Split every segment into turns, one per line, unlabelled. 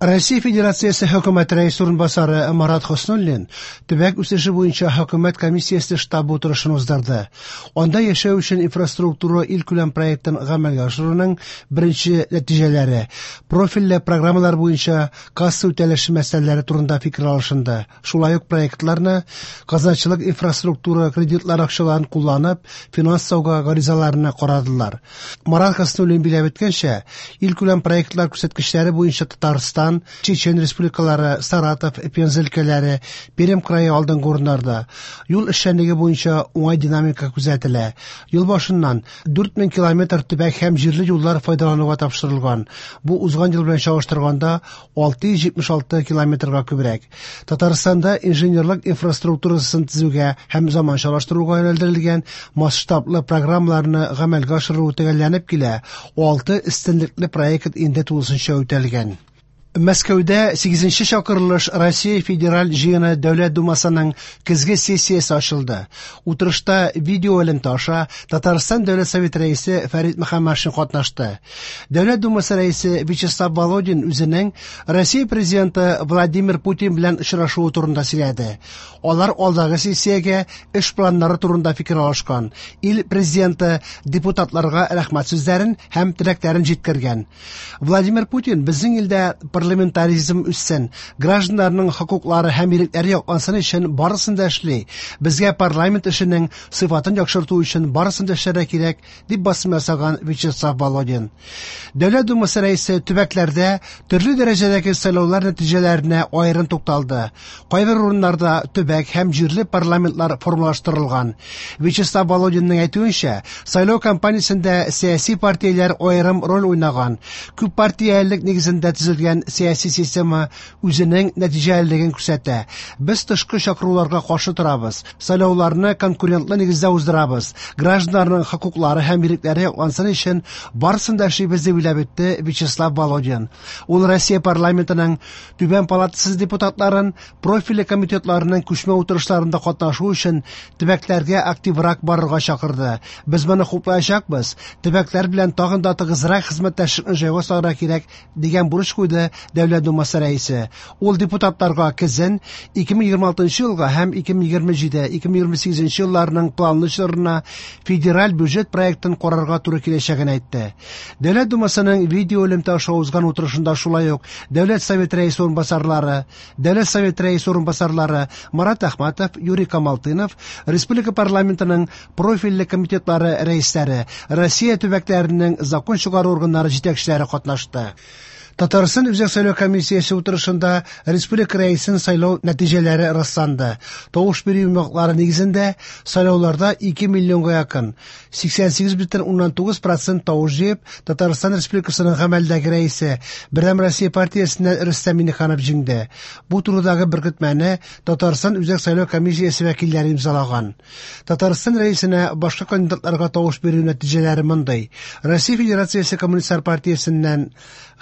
Россия Федерациясе Хөкүмәт Рәисе урынбасары Марат Хөснуллин төбәк үсеше буенча хөкүмәт комиссиясе штабы утырышын уздырды. Анда яшәү өчен инфраструктура илкүләм проектын гамәлгә ашыруның беренче нәтиҗәләре, профильле программалар буенча касса үтәлеше мәсьәләләре турында фикер алышынды. Шулай ук проектларны казначылык инфраструктура кредитлар акчаларын кулланып финанслауга гаризаларны карадылар. Марат Хөснуллин билгеләп үткәнчә, илкүләм проектлар күрсәткечләре буенча Татарстан, Чечен республикалары, Саратов, Пенза өлкәләре, Пермь крае алдынгы урыннарда. Юл эшчәнлеге буенча уңай динамика күзәтелә. Ел башыннан 4000 километр төбәк һәм җирле юллар файдалануга тапшырылган. Бу узган ел белән чагыштырганда 676 километрга күбрәк. Татарстанда инженерлык инфраструктурасын төзүгә һәм заманчалаштыруга юнәлдерелгән масштаблы программаларны гамәлгә ашыру төгәлләнеп килә. 6 өстенлекле проект инде тулысынча үтәлгән. Мәскәүдә 8-нче чакырылыш Россия Федераль Җыены Дәүләт Думасының көзге сессиясе ачылды. Утырышта видео элемтә аша Татарстан Дәүләт Советы рәисе Фәрит Мөхәммәтшин катнашты. Дәүләт Думасы рәисе Вячеслав Володин үзенең Россия президенты Владимир Путин белән очрашуы турында сөйләде. Алар алдагы сессиягә эш планнары турында фикер алышкан. Ил президенты депутатларга рәхмәт сүзләрен һәм теләкләрен җиткергән. Владимир Путин безнең илдә парламентаризм үссен, гражданнарның хокуклары һәм ирекләре яклансын өчен барысын да эшли. Безгә парламент эшенең сыйфатын яхшырту өчен барысын да эшләргә кирәк, дип басым ясаган Вячеслав Володин. Дәүләт Думасы рәисе төбәкләрдә төрле дәрәҗәдәге сайлаулар нәтиҗәләренә аерым тукталды. Кайбер урыннарда төбәк һәм җирле парламентлар формалаштырылган. Вячеслав Володинның әйтүенчә, сайлау кампаниясендә сәяси партияләр аерым роль уйнаган. Күп партиялелек нигезендә төзелгән сәяси система үзенең нәтиҗәлелеген күрсәтә. Без тышкы чакыруларга каршы торабыз. Сайлауларны конкурентлы нигездә уздырабыз. Гражданнарның хокуклары һәм ирекләре яклансын өчен барысын да эшлибез, дип уйлап үтте Вячеслав Володин. Ул Россия парламентының Түбән палатасы депутатларын профильле комитетларының күчмә утырышларында катнашу өчен төбәкләргә активрак барырга чакырды. Без моны хуплаячакбыз. Төбәкләр белән тагын да тыгызрак хезмәттәшлекне җайга салырга кирәк, дигән бурыч куйды Дәүләт Думасы рәисе. Ул депутатларга көзен 2026 елга һәм 2027-2028 елларның планлы чорына федераль бюджет проектын карарга туры киләчәген әйтте. Дәүләт Думасының видео элемтә аша узган утырышында шулай ук Дәүләт Советы рәисе урынбасарлары, Дәүләт Советы рәисе урынбасарлары Марат Әхмәтов, Юрий Камалтынов, республика парламентының профильле комитетлары рәисләре, Россия төбәкләренең закон чыгару органнары җитәкчеләре катнашты. Татарстан Үзәк сайлау комиссиясе утырышында республика рәисен сайлау нәтиҗәләре расланды. Тавыш бирү йомгаклары нигезендә сайлауларда 2 миллионга якын 88,9% тавыш җыеп, Татарстан Республикасының гамәлдәге рәисе, Бердәм Россия партиясеннән Рөстәм Миңнеханов җиңде. Бу турыдагы беркетмәне Татарстан Үзәк сайлау комиссиясе вәкилләре имзалаган. Татарстан рәисенә башка кандидатларга тавыш бирү нәтиҗәләре мондый: Россия Федерациясе Коммунистлар партиясеннән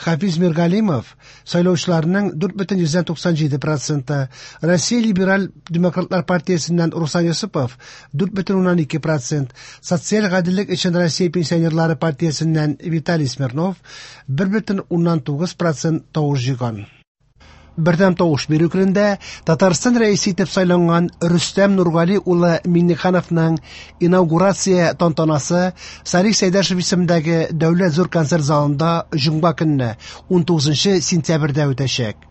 Хафиз Миргалимов сайлаучыларның 4,97 проценты, Россия Либераль демократлар партиясеннән Руслан Йосыпов 4,2 процент, Социаль гаделлек өчен Россия пенсионерлары партиясеннән Виталий Смирнов 1,9 процент тавыш җыйган. Бердәм тавыш бирү көнендә Татарстан рәисе итеп сайланган Рөстәм Нургали улы Миңнехановның инаугурация тантанасы Салих Сәйдәшев исемендәге Дәүләт зур концерт залында җомга көнне 19 сентябрьдә үтәчәк.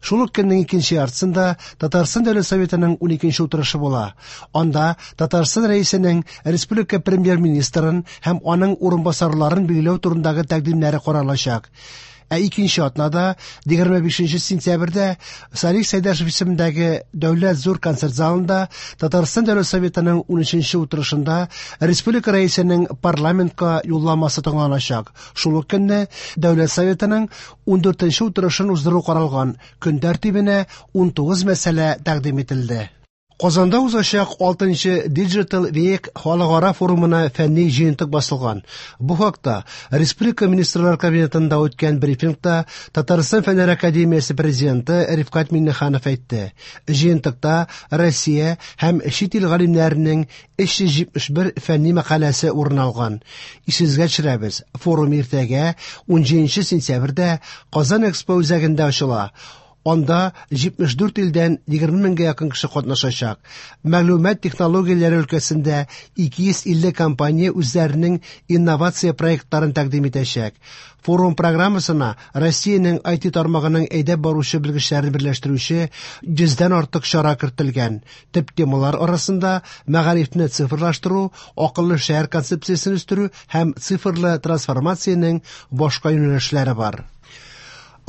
Шул ук көннең икенче яртысында Татарстан Дәүләт Советының 12 утырышы була. Анда Татарстан Рәисенең республика премьер-министрын һәм аның урынбасарларын билгеләү турындагы тәкъдимнәре каралачак. Ә икенче атнада, 25 сентябрьдә Салих Сәйдәшев исемендәге Дәүләт зур концерт залында Татарстан Дәүләт Советының 13 утырышында республика рәисенең парламентка юлламасы тыңланачак. Шул ук көнне Дәүләт Советының 14 утырышын уздыру каралган. Көн тәртибенә 19 мәсьәлә тәкъдим ителде. Казанда узачак 6нчы Digital Week халыкара форумына фәнни җыентык басылган. Бу хакта Республика Министрлар Кабинетында үткән брифингта Татарстан Фәннәр академиясе президенты Рифкать Миңнеханов әйтте. Җыентыкта Россия һәм чит ил галимнәренең 371 фәнни мәкаләсе урын алган. Исегезгә төшерәбез, форум иртәгә 17 сентябрьдә Казан Экспо үзәгендә ачыла. Анда 74 илдән 20 меңгә якын кеше катнашачак. Мәгълүмат технологияләре өлкәсендә 250 компания үзләренең инновация проектларын тәкъдим итәчәк. Форум программасына Россиянең IT тармагының әйдәп баручы белгечләрен берләштерүче 100дән артык чара кертелгән. Төп темалар арасында мәгарифне цифрлаштыру, акыллы шәһәр концепциясен үстерү һәм цифрлы трансформациянең башка юнәлешләре бар.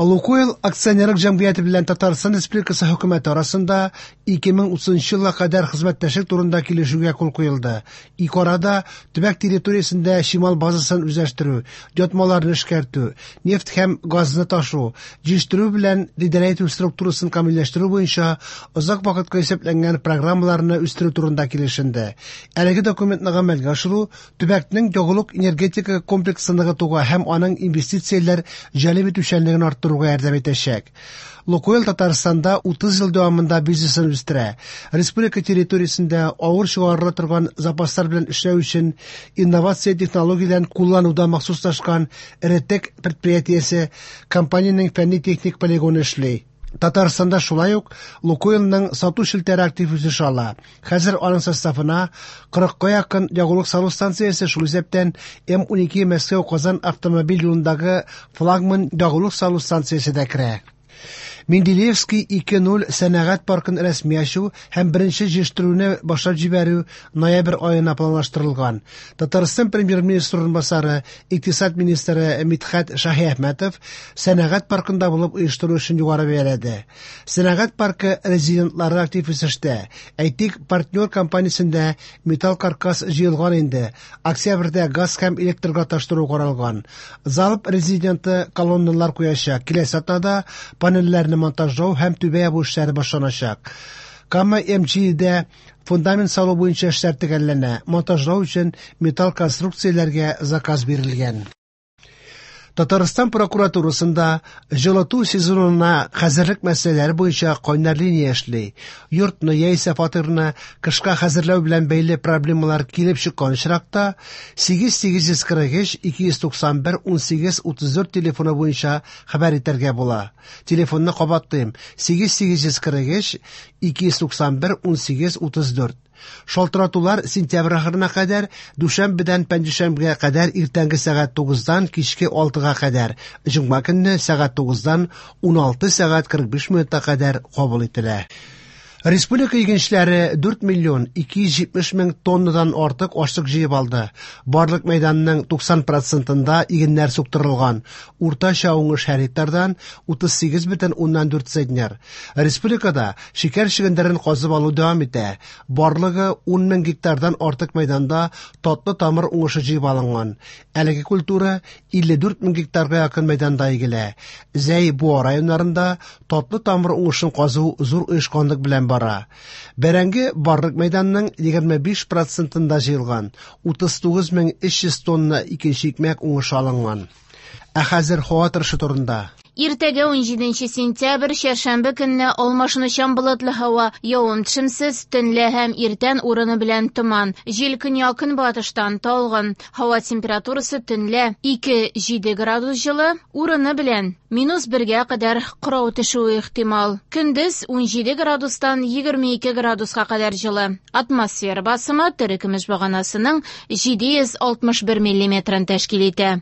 Лукойл акционерлык җәмгыяте белән Татарстан Республикасы хөкүмәте арасында 2030 елга кадәр хезмәттәшлек турында килешүгә кул куелды. Ике арада төбәк территориясендә чимал базасын үзләштерү, ятмаларны эшкәртү, нефть һәм газны ташу, җитештерү белән идарә итү структурасын камилләштерү буенча озак вакытка исәпләнгән программаларны үстерү турында килешенде. Әлеге документны гамәлгә ашыру төбәкнең ягулык энергетика комплексын ныгытуга һәм аның инвестицияләр җәлеп итүчәнлеген арттыруга ярдәм итәчәк. Лукойл Татарстанда 30 ел дәвамында бизнесын үстерә. Республика территориясендә авыр чыгарыла торган запаслар белән эшләү өчен инновация технологияләрен куллануда махсуслашкан Эретек предприятиесе компаниянең фәнни-техник полигоны эшли. Татарстанда шулай ук Лукойлның сату челтәре актив үсеш ала. Хәзер аның составына 40-ка якын ягулык салу станциясе, шул исәптән М12 Мәскәү-Казан автомобиль юлындагы флагман ягулык салу станциясе дә керә. Менделеевский 2.0 сәнәгать паркын рәсми ачу һәм беренче җитештерүне башлап җибәрү ноябрь аена планлаштырылган. Татарстан премьер-министры урынбасары, икътисад министры Мидхәт Шаһиәхмәтов сәнәгать паркында булып оештыру эшен югары бәяләде. Сәнәгать паркы резидентлары актив үсештә. Әйтик, партнер компаниясендә металл каркас җыелган инде. Октябрьдә газ һәм электрга тоташтыру каралган. Залп резиденты колонналар куячак. Киләсе атнада панельләрне монтажлау һәм түбә ябу эшләре башланачак. Кама МГда фундамент салу буенча эшләр төгәлләнә. Монтажлау өчен металл конструкцияләргә заказ бирелгән. Татарстан прокуратурасында җылыту сезонына хәзерлек мәсьәләләре буенча кайнар линия эшли. Йортны яисә фатирны кышка хәзерләү белән бәйле проблемалар килеп чыккан очракта 8843 291 18 34 телефоны буенча хәбәр итәргә була. Телефонны кабатлыйм: 8843 291 18 34. Шалтыратулар сентябрь ахырына кадәр, дүшәмбедән пәнҗешәмбегә кадәр иртәнге сәгать 9-дан кичке 6-га кадәр, җомга көнне сәгать 9-дан 16 сәгать 45 минутка кадәр кабул ителә. Республика игенчеләре 4 миллион 270 мең тоннадан артык ашлык җыеп алды. Барлык мәйданның 90 процентында игеннәр суктырылган. Уртача уңыш һәр гектардан 38,4 центнер. Республикада шикәр чөгендерен казып алу дәвам итә. Барлыгы 10 мең гектардан артык мәйданда татлы тамыр уңышы җыеп алынган. Әлеге культура 54 мең гектарга якын мәйданда игелә. Зәй Буа районнарында татлы тамыр уңышын казу зур оешканлык белән бара. Бәрәңге барлык мәйданның 25 процентында җыелган. 39300 тонна икенче икмәк уңышы алынган. Ә хәзер һава торышы турында.
Иртәгә 17 сентябрь, чәршәмбе көнне алмашынучан болытлы һава, явым-төшемсез, төнлә һәм иртән урыны белән томан. Җил көньяк-көнбатыштан талгын. Һава температурасы төнлә 2-7 градус җылы, урыны белән минус 1-гә кадәр кырау төшүе ихтимал. Көндез 17 градустан 22 градуска кадәр җылы. Атмосфера басымы терекөмеш баганасының 761 миллиметрын тәшкил итә.